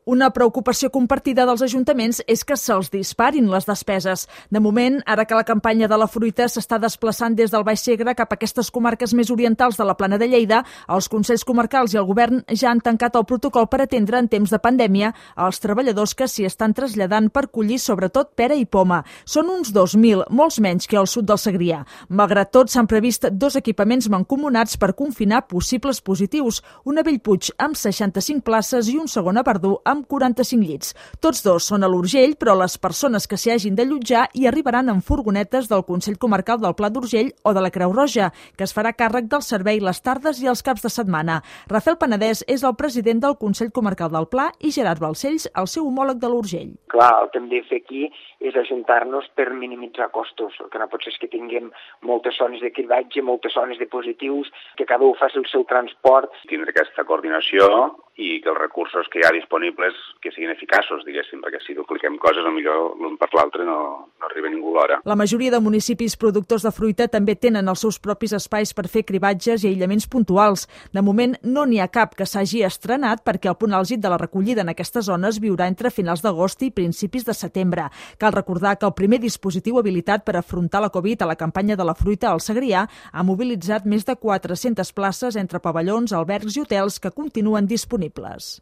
Una preocupació compartida dels ajuntaments és que se'ls disparin les despeses. De moment, ara que la campanya de la fruita s'està desplaçant des del Baix Segre cap a aquestes comarques més orientals de la Plana de Lleida, els Consells Comarcals i el Govern ja han tancat el protocol per atendre en temps de pandèmia als treballadors que s'hi estan traslladant per collir sobretot pera i poma. Són uns 2.000, molts menys que al sud del Segrià. Malgrat tot, s'han previst 2 equipaments mancomunats per confinar possibles positius, un a Bellpuig amb 65 places i un segon a Verdú amb 45 llits. Tots 2 són a l'Urgell, però les persones que s'hi hagin d'allotjar hi arribaran en furgonetes del Consell Comarcal del Pla d'Urgell o de la Creu Roja, que es farà càrrec del servei les tardes i els caps de setmana. Rafael Penedès és el president del Consell Comarcal del Pla i Gerard Balcells, el seu homòleg de l'Urgell. Clar, el que hem de fer aquí és ajuntar-nos per minimitzar costos. El que no pot ser és que tinguem moltes zones de cribatge, moltes zones de positius, que cada un faci el seu transport. Tindre aquesta coordinació i que els recursos que hi ha disponibles que siguin eficaços, diguéssim, perquè si dupliquem coses, potser l'un per l'altre no arriba ningú l'hora. La majoria de municipis productors de fruita també tenen els seus propis espais per fer cribatges i aïllaments puntuals. De moment no n'hi ha cap que s'hagi estrenat perquè el punt àlgid de la recollida en aquestes zones viurà entre finals d'agost i principis de setembre. Cal recordar que el primer dispositiu habilitat per afrontar la Covid a la campanya de la fruita al Segrià ha mobilitzat més de 400 places entre pavellons, albergs i hotels que continuen disponibles.